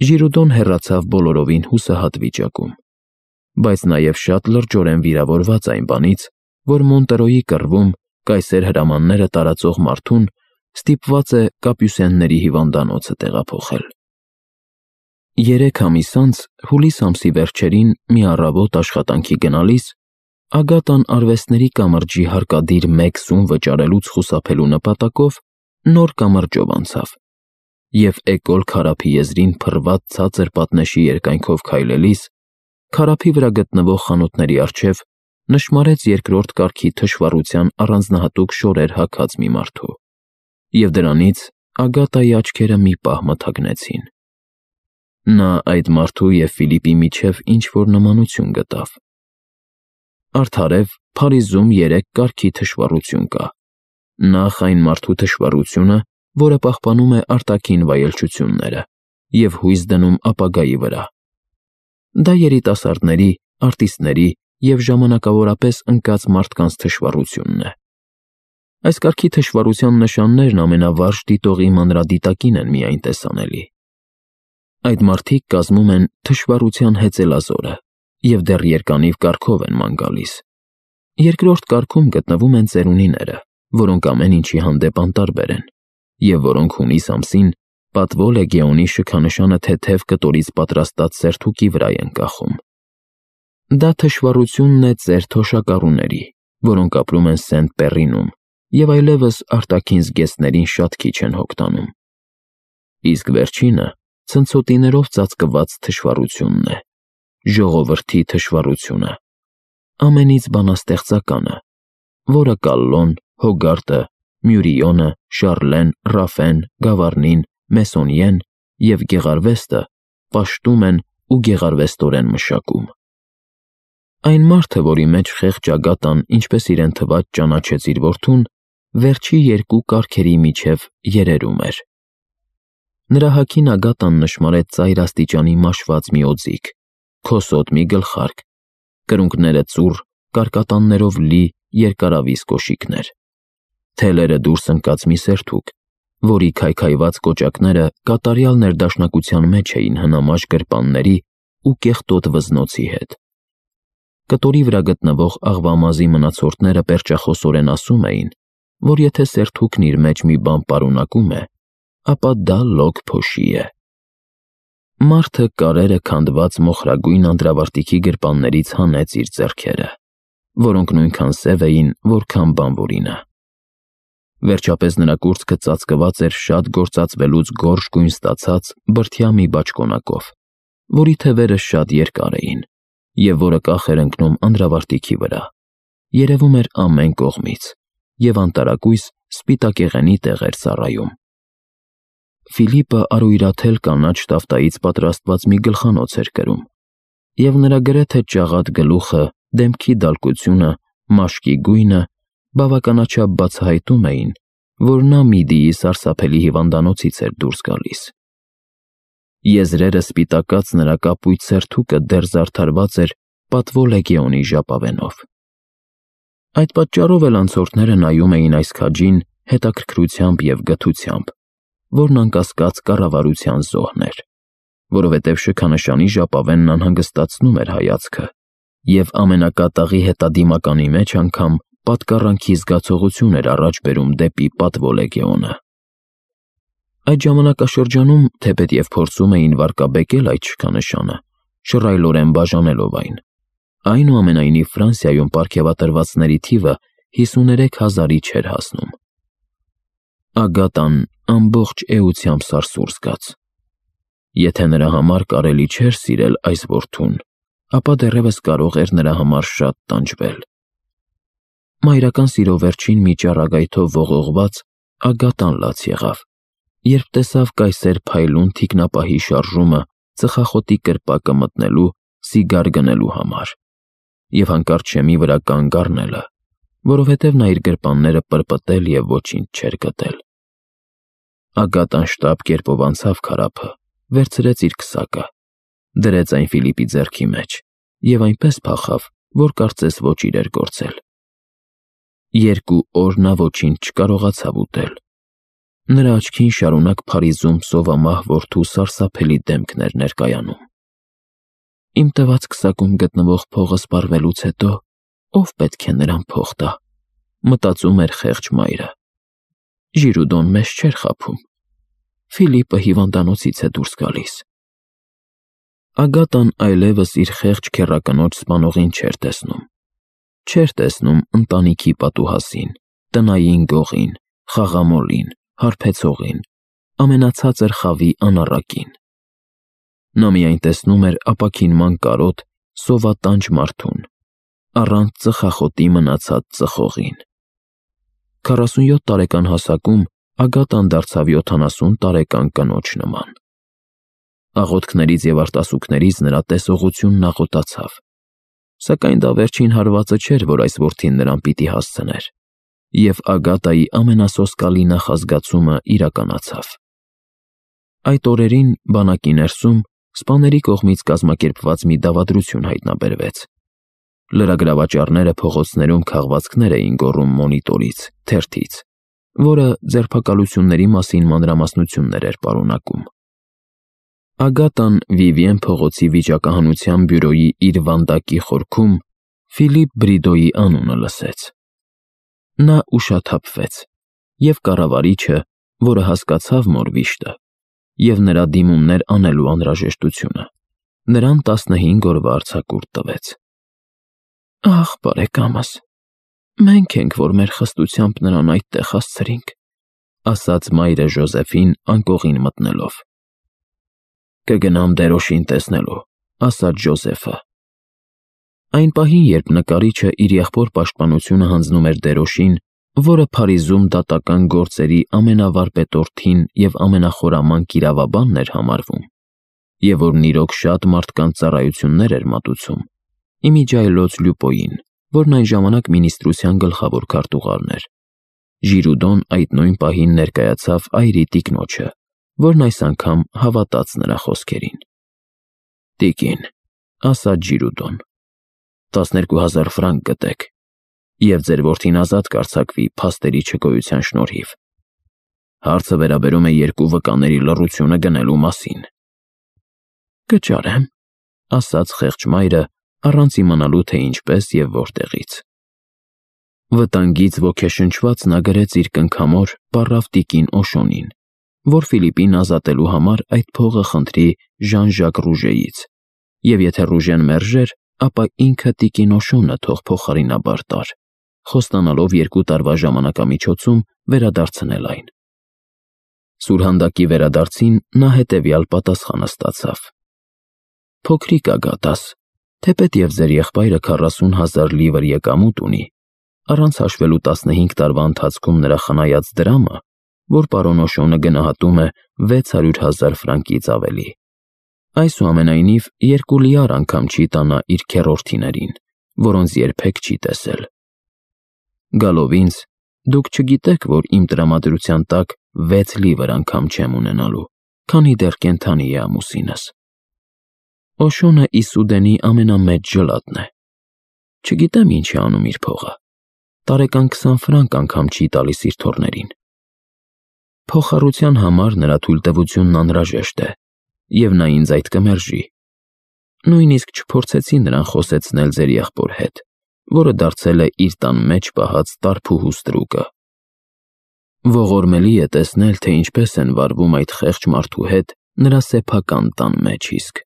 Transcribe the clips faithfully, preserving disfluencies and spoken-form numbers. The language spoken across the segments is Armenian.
Ժիրուդոն հեռացավ բոլորովին հուսահատ վիճակում, բայց նաև շատ լրջորեն վիրավորված այն բանից, որ Մոնտրոյի կռվում կայսեր հրամանները տարածող մարդուն ստիպված է կապյուսենների հիվանդանոցը տեղափոխել։ Երեք ամիս անց, հուլիս ամսի վերջերին մի առավոտ աշխատանքի գնալիս, Ագատան արվեստների կամրջի հարկադիր մեկ սում վճարելուց խուսափելու նպատակով նոր կամրջով անցավ և էկոլ քարափի եզրին փռված ցածր պատնեշի երկայնքով քայլելիս, քարափի վրա գտնվող խանութների առջև նշմարեց երկրորդ կարգի թշվառության առանձնահատուկ շորեր հագած մի մարդու, և դրանից Ագատայի աչքերը մի պահ մթագնեցին։ Նա այդ մարդու և Ֆիլիպի միջև ինչ-որ նմանություն գտավ։ Արդարև, Փարիզում երեք կարգի թշվառություն կա. նախ այն մարդու թշվառությունը, որը պահպանում է արտաքին վայելչությունները և հույս դնում ապագայի վրա։ Դա երիտասարդների, արտիստների և ժամանակավորապես ընկած մարդկանց թշվառությունն է։ Այս կարգի թշվառության նշաններն ամենավարժ դիտողի մանրադիտակին են միայն տեսանելի։ Այդ մարդիկ կազմում են թշվառության հեծելազորը և դեռ երկանիվ կարգով են ման գալիս։ Երկրորդ կարգում գտնվում են ծերունիները, որոնք ամեն ինչի հանդեպ անտարբեր են, և որոնք հունիս ամսին պատվո լեգեոնի շքանշանը թեթև կտորից պատրաստած սերթուկի վրա են կախում։ Դա թշվառությունն է ծեր թոշակառուների, որոնք ապրում են Սենտ Պեռինում և այլևս արտաքին զգեստներին շատ քիչ են հոգ տանում։ Իսկ վերջինը ցնցոտիներով ծածկված թշվառությունն է, ժողովրդի թշվառությունը, ամենից բանաստեղծականը, որը Կալլոն, Հոգարտը, Մյուրիոնը, Շարլեն, Ռաֆեն, Գավառնին, Մեսոնիեն և Գեղարվեստը պաշտում են ու գեղարվեստորեն մշակում։ Այն մարդը, որի մեջ խեղճ Ագատան, ինչպես իրեն թվաց, ճանաչեց իր որդուն, վերջի երկու կարգերի միջև երերում էր։ Նրա հագին Ագատան նշմարեց ծայր աստիճանի մաշված մի օձիք, քոսոտ մի գլխարկ, կրունկները ծուռ, կարկատաններով լի երկարավիզ կոշիկներ, թելերը դուրս ընկած մի սերթուկ, որի քայքայված կոճակները կատարյալ ներդաշնակության մեջ էին հնամաշ գրպանների ու կեղտոտ վզնոցի հետ։ Կտորի վրա գտնվող աղվամազի մնացորդները պերճախոսորեն ասում էին, որ եթե սերթուկն իր մեջ մի բան պարունակում է, ապա դա լոկ փոշի է։ Մարդը կարերը քանդված մոխրագույն անդրավարտիքի գրպաններից հանեց իր ձեռքերը, որոնք նույնքան սև էին, որքան բանվորինը։ Վերջապես նրա կուրծքը ծածկված էր շատ գործածվելուց գորշ գույն ստացած բրդյա մի բաճկոնակով, որի թևերը շատ երկար էին, և որը կախ էր ընկնում անդրավարտիքի վրա, երևում էր ամեն կողմից, և անտարակույս սպիտակեղենի տեղ էր ծառայում։ Ֆիլիպը արույրաթել կանաչ տավտայից պատրաստված մի գլխանոց էր կրում, և նրա գրեթե ճաղատ գլուխը, դեմքի դալկությունը, մաշկի գույնը բավականաչափ բացահայտում էին, որ նա Միդիի սարսափելի հիվանդանոցից էր դուրս գալիս։ Եզրերը սպիտակած նրա կապույտ սերթուկը դեռ զարդարված էր պատվո լեգեոնի ժապավենով։ Այդ պատճառով էլ անցորդները նայում էին այս քաջին հետաքրքրությամբ և գթությամբ, որն անկասկած կառավարության զոհն էր, որովհետև շքանշանի ժապավենն անհանգստացնում էր հայացքը և ամենակատաղի հետադիմականի մեջ անգամ պատկառանքի զգացողություն էր առաջ բերում դեպի պատվո լեգեոնը։ Այդ ժամանակաշրջանում, թեպետև փորձում էին վարկաբեկել այդ շքանշանը, շռայլորեն բաժանելով այն, այնուամենայնիվ Ֆրանսիայում պարգևատրվածների թիվը հիսուներեք հազարի չէր հասնում։ Ագատան ամբողջ էությամբ սարսուռ զգաց։ Եթե նրա համար կարելի չէր սիրել այս որդուն, ապա դեռևս կարող էր նրա համար շատ տանջվել։ Մայրական սիրո վերջին մի ճառագայթով ողողված Ագատան լաց եղավ, երբ տեսավ կայսեր փայլուն թիկնապահի շարժումը ծխախոտի կրպակը մտնելու, սիգար գնելու համար, և հանկարծ շեմի վրա կանգ առնելը, որովհետև նա իր գրպանները պրպտել և ոչինչ չէր գտել։ Ագատան շտապ կերպով անցավ քարափը, վերցրեց իր քսակը, դրեց այն Ֆիլիպի ձեռքի մեջ և այնպես փախավ, որ կարծես ոճիր էր գործել։ Երկու օր նա ոչինչ չկարողացավ ուտել։ Նրա աչքին շարունակ Փարիզում սովամահ որդու սարսափելի դեմքն էր ներկայանում։ Իմ տված քսակում գտնվող փողը սպառվելուց հետո ով պետք է նրան փող տա, մտածում էր խեղճ մայրը։ Ժիրուդոն մեզ չէր խաբում։ Ֆիլիպը հիվանդանոցից է դուրս գալիս։ Ագատան այլևս իր խեղճ քեռակնոջ սպանողին չէր տեսնում։ Չէր տեսնում ընտանիքի պատուհասին, տնային գողին, խաղամոլին, հարբեցողին, ամենացածր խավի անառակին։ Նա միայն տեսնում էր ապաքինման կարոտ, սովատանջ մարդուն, առանց ծխախոտի մնացած ծխողին։ Քառասունյոթ տարեկան հասակում Ագատան դարձավ յոթանասուն տարեկան կնոջ նման։ Աղոթքներից և արտասուքներից նրա տեսողությունն աղոտացավ, սակայն դա վերջին հարվածը չէր, որ այս որդին նրան պիտի հասցներ, և Ագատայի ամենասոսկալի նախազգացումը իրականացավ։ Այդ օրերին բանակի ներսում սպաների կողմից կազմակերպված մի դավադրություն հայտնաբերվեց։ Լրագրավաճառները փողոցներում քաղվածքներ էին գոռում մոնիտորից, թերթից, որը ձերբակալությունների մասին մանրամասնություններ էր պարունակում։ Ագատան Վիվիեն փողոցի վիճակահանության բյուրոյի իր վանդակի խորքում Ֆիլիպ Բրիդոյի անունը լսեց։ Նա ուշաթափվեց, և կառավարիչը, որը հասկացավ Մորվիշտը և նրա դիմումներ անելու անհրաժեշտությունը, նրան տասնհինգ օրվա արձակուրդ տվեց։ Ախ, բարեկամս, մենք ենք, որ մեր խստությամբ նրան այդտեղ հասցրինք, ասաց մայրը Ժոզեֆին անկողին մտնելով։ Կգնամ դերոշին տեսնելու, ասաց Ժոզեֆը։ Այն պահին, երբ նկարիչը իր եղբոր պաշտպանությունը հանձնում էր դերոշին, որը Փարիզում դատական գործերի ամենավարպետորդին և ամենախորամանկ իրավաբանն էր համարվում, և որն իրոք շատ մարդկանց ծառայություններ էր մատուցում, իմիջիայլոց Լյուպոյին, որն այն ժամանակ մինիստրության գլխավոր քարտուղարն էր, Ժիրուդոն այդ նույն պահին ներկայացավ այրի տիկնոջը, որն այս անգամ հավատաց նրա խոսքերին։ Տիկին, ասաց Ժիրուդոն, տասներկու հազար ֆրանկ գտեք, և ձեր որդին ազատ կարձակվի փաստերի չգոյության շնորհիվ։ Հարցը վերաբերում է երկու վկաների լռությունը գնելու մասին։ Կճարեմ, ասաց խեղճ մայրը, առանց իմանալու, թե ինչպես և որտեղից։ Վտանգից ոգեշնչված նա գրեց իր կնքամոր պառավ տիկին Օշոնին, որ Ֆիլիպին ազատելու համար այդ փողը խնդրի Ժան-Ժակ Ռուժեից, և եթե Ռուժեն մերժեր, ապա ինքը տիկին Օշոնը թող փոխարինաբար տար, խոստանալով երկու տարվա ժամանակամիջոցում վերադարձնել այն։ Սուրհանդակի վերադարձին նա հետևյալ պատասխանը ստացավ. Փոքրիկ Ագատաս, թեպետ և ձեր եղբայրը քառասուն հազար լիվր եկամուտ ունի, առանց հաշվելու տասնհինգ տարվա ընթացքում նրա խնայած դրամը, որ պարոն Օշոնը գնահատում է վեց հարյուր հազար ֆրանկից ավելի։ Այսուամենայնիվ, երկու լիար անգամ չի տանա իր քեռորդիներին, որոնց երբեք չի տեսել։ Գալով ինձ, դուք չգիտեք, որ իմ տրամադրության տակ վեց լիվր անգամ չեմ ունենալու, քանի դեռ կենդանի է ամուսինս։ Օշոնը Իսուդենի ամենամեծ ջլատն է։ Չգիտեմ ինչ է անում իր փողը։ Տարեկան քսան ֆրանկ անգամ չի տալիս իր թոռներին։ Փոխառության համար նրա թույլտվությունն անհրաժեշտ է, և նա ինձ այդ կմերժի։ Նույնիսկ չփորձեցի նրան խոսեցնել ձեր եղբոր հետ, որը դարձել է իր տան մեջ պահած տարփուհու ստրուկը։ Ողորմելի է տեսնել, թե ինչպես են վարվում այդ խեղճ մարդու հետ նրա սեփական տան մեջ իսկ,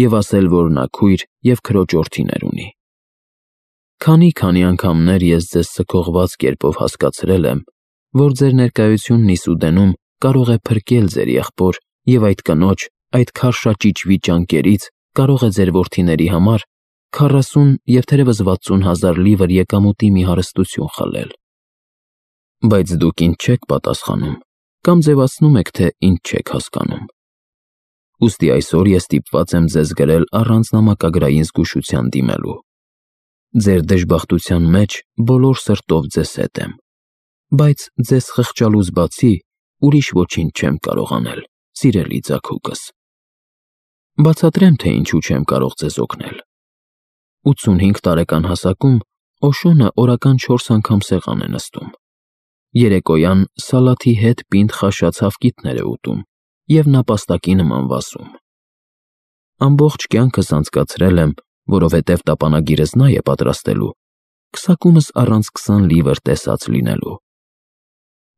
և ասել, որ նա քույր և քրոջորդիներ ունի։ Քանի-քանի անգամներ ես ձեզ սգողված կերպով հասկացրել եմ, որ ձեր ներկայությունն Իսուդենում կարող է փրկել ձեր եղբոր և այդ կնոջ այդ քարշաճիճվի ճանկերից կարող է ձեր որդիների համար քառասուն և թերևս վաթսուն հազար լիվր եկամուտի մի հարստություն խլել։ Բայց դուք ինձ չեք պատասխանում կամ ձևացնում եք, թե ինձ չեք հասկանում։ Ուստի այսօր ես ստիպված եմ ձեզ գրել առանց նամակագրային զգուշության դիմելու։ Ձեր դժբախտության մեջ բոլոր սրտով ձեզ հետ եմ, բայց ձեզ խղճալուց բացի ուրիշ ոչինչ չեմ կարող անել, սիրելի ձագուկս։ Բացատրեմ, թե ինչու չեմ կարող ձեզ օգնել։ ութսունհինգ տարեկան հասակում Օշոնը օրական չորս անգամ սեղան է նստում։ Երեկոյան սալաթի հետ պինդ խաշած հավկիթներ է ուտում և նապաստակի նման վասում։ Ամբողջ կյանքս անցկացրել եմ, որովհետև տապանագիրս նա է պատրաստելու, քսակումս առանց քսան լիվր տեսած լինելու։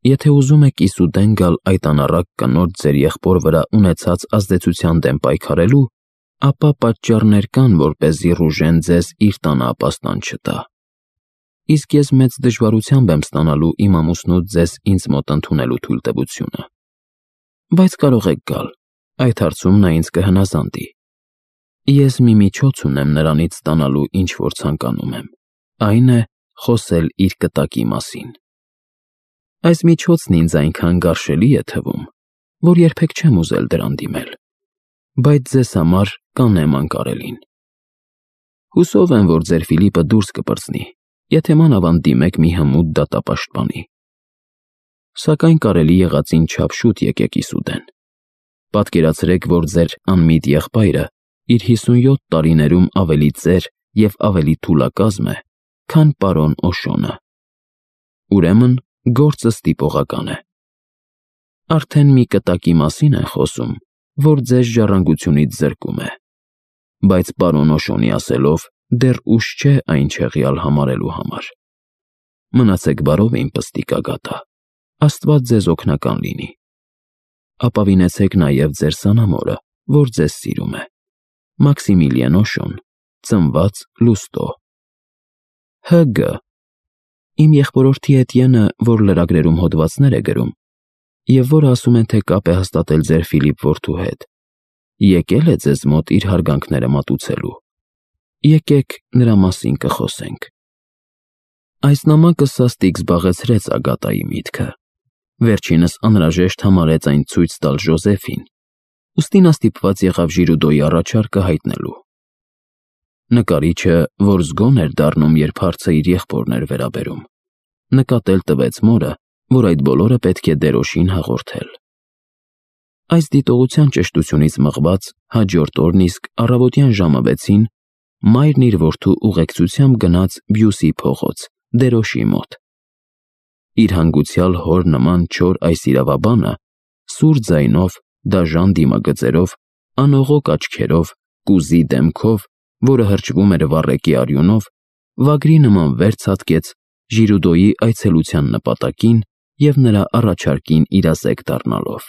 Եթե ուզում եք իսուտեն գալ այդ անառակ կնոջ ձեր եղբոր վրա ունեցած ազդեցության դեմ պայքարելու, ապա պատճառներ կան, որպեսզի Ռուժեն ձեզ իր տանը ապաստան չտա։ Իսկ ես մեծ դժվարությամբ եմ ստանալու իմ ամուսնուց ձեզ ինձ մոտ ընդունելու թույլտվությունը։ Բայց կարող եք գալ, այդ հարցում նա ինձ կհնազանդի։ Ես մի միջոց ունեմ նրանից ստանալու, ինչ որ ցանկանում եմ, այն է խոսել իր կտակի մասին։ Այս միջոցն ինձ այնքան գարշելի է թվում, որ երբեք չեմ ուզել դրան դիմել, բայց ձեզ համար կանեմ անկարելին։ Հուսով եմ, որ ձեր Ֆիլիպը դուրս կպրծնի, եթե մանավանդ դիմեք մի հմուտ դատապաշտպանի։ Սակայն կարելի եղածին չափ շուտ եկեք իսուտեն։ Պատկերացրեք, որ ձեր անմիտ եղբայրը իր հիսունյոթ տարիներում ավելի ծեր և ավելի թուլակազմ է, քան պարոն Օշոնը։ Ուրեմն գործը ստիպողական է։ Արդեն մի կտակի մասին են խոսում, որ ձեզ ժառանգությունից զրկում է, բայց պարոն Օշոնի ասելով, դեռ ուշ չէ այն չեղյալ համարելու համար։ Մնացեք բարով, իմ պստիկ ագատա, Աստված ձեզ օգնական լինի։ Ապավինեցեք նաև ձեր սանամորը, որ ձեզ սիրում է։ Մաքսիմիլիան Օշոն, ծնված Լուստո։ Հ Գ Իմ եղբորորդի Էտիենը, որ լրագրերում հոդվածներ է գրում, և որը ասում են, թե կապ է հաստատել ձեր Ֆիլիպ որդու հետ, եկել է ձեզ մոտ իր հարգանքները մատուցելու։ Եկեք նրա մասին կխոսենք։ Այս նամակը սաստիկ զբաղեցրեց Ագատայի միտքը։ Վերջինս անհրաժեշտ համարեց այն ցույց տալ Ժոզեֆին, ուստի նա ստիպված եղավ Ժիրուդոյի առաջարկը հայտնելու։ Նկարիչը, որ զգոն էր դառնում, երբ հարցը իր եղբորն էր վերաբերում, նկատել տվեց մորը, որ այդ բոլորը պետք է դերոշին հաղորդել։ Այս դիտողության ճշտությունից մղված հաջորդ օրն իսկ առավոտյան ժամը վեցին մայրն իր որդու ուղեկցությամբ գնաց Բյուսի փողոց, դերոշի մոտ։ Իր հանգուցյալ հոր նման չոր այս իրավաբանը սուր ձայնով, դաժան դիմագծերով, անողոք աչքերով, կուզի դեմքով, որը հրճվում էր վառեկի արյունով, վագրի նման վեր ցատկեց Ժիրուդոյի այցելության նպատակին և նրա առաջարկին իրազեկ դառնալով։